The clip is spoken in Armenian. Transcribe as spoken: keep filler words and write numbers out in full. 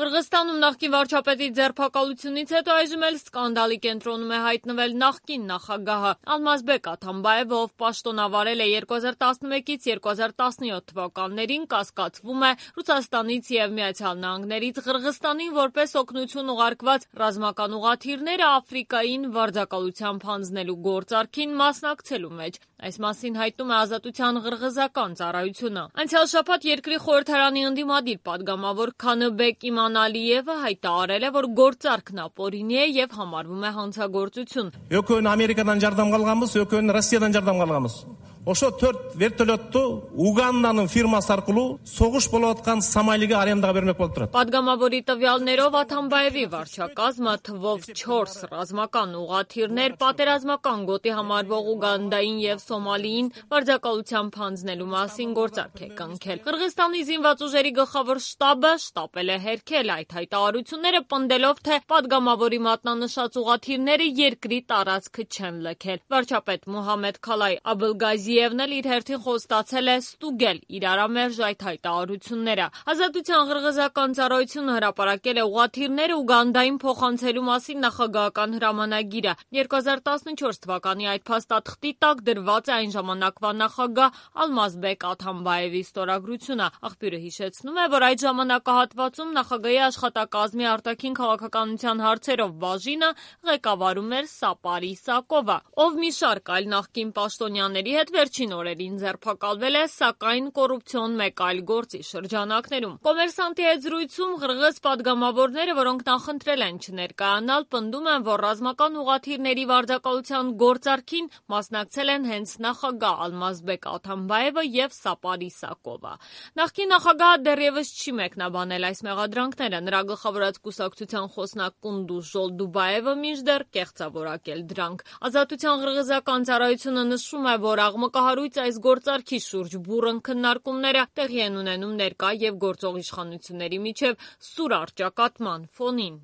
Qırğızstանում նախկին վարչապետի ձերբակալությունից հետո այժմ էլ սկանդալի կենտրոնում է հայտնվել նախկին նախագահը Ալմազբեկ Աթամբաևը, ով պաշտոնավարել է երկու հազար տասնմեկից երկու հազար տասնյոթ թվականներին, կասկածվում է Ռուսաստանից և Միացյալ Նահանգներից Qırğızстанին որպես օգնություն ուղարկված ռազմական ուղղաթիռները Աֆրիկային վարձակալությամբ հանձնելու գործարքին մասնակցելու մեջ։ Այս մասին հայտնում է Ազատության ղրղզական ծառայությունը։ Անցյալ շաբաթ երկրի խորհրդարանի ընդդիմադիր պատգամավոր Քանыбек Իմանալիևը հայտարարել է, որ գործարքն ապօրինի է և համարվում է հանցագործություն։ Yok ön Amerika'dan yardım algamız, yok ön Rusya'dan yardım algamız. Ошо төрт вертолетту Уганданын фирмасы аркылуу согуш болуп аткан Сомалиге арендаға бермек болуп турат. Պատգամավորի տվյալներով Աթամբաևի վարչակազմը թվով չորս ռազմական ուղղաթիռներ պատերազմական գոտի համարվող Ուգանդային և Սոմալիին վարձակալությամբ հանձնելու մասին գործարք է կնքել։ Qırğızstանի զինված ուժերի գլխավոր շտաբը շտապել է հերքել այդ հայտարարությունները, պնդելով, թե պատգամավորի մատնանշած ուղղաթիռները երկրի տարածքը չեն լքել։ Վարչապետ Մուհամմեդ Քալայ Աբլգազիևն էլ իր հերթին խոստացել է ստուգել իրարամերժ այդ հայտարարությունները։ Ազատության ղրղզական ծառայությունը հրապարակել է ուղղաթիռները Ուգանդային փոխանցելու մասին նախագահական հրամանագիրը։ երկու հազար տասնչորս թվականի այդ փաստաթղթի տակ դրված է այն ժամանակվա նախագահ Ալմազբեկ Աթամբաևի ստորագրությունը։ Աղբյուրը հիշեցնում է, որ այդ ժամանակահատվածում նախագահի աշխատակազմի արտաքին քաղաքականության հարցերով բաժինը ղեկավարում էր Սապար Իսակովը, ով մի շարք այլ նախկին պաշտոնյաների հետ վերջին օրերին ձերբակալվել է, սակայն կոռուպցիոն մեկ այլ գործի շրջանակներում։ Կոմերսանտի հետ զրույցում qırğız պատգամավորները, որոնք նախընտրել են չներկայանալ, պնդում են, որ ռազմական ուղղաթիռների վարձակալության գործարքին մասնակցել են հենց նախագահ Ալմազբեկ Աթամբաևը և Սապար Իսակովը։ Նախկին նախագահը դեռևս չի մեկնաբանել այս մեղադրանքները։ Նրա գլխավորած կուսակցության խոսնակ Կունդուզ Ժոլդուբաևը մինչդեռ կեղծավորակել դրանք։ Ազատության ղրղզական ծառայությունը նշում է, որ աղմկահարույց այս գործարքի շուրջ բուռն քննարկումները տեղի են ունենում ներկա և գործող իշխանությունների միջև սուր առճակատման ֆոնին։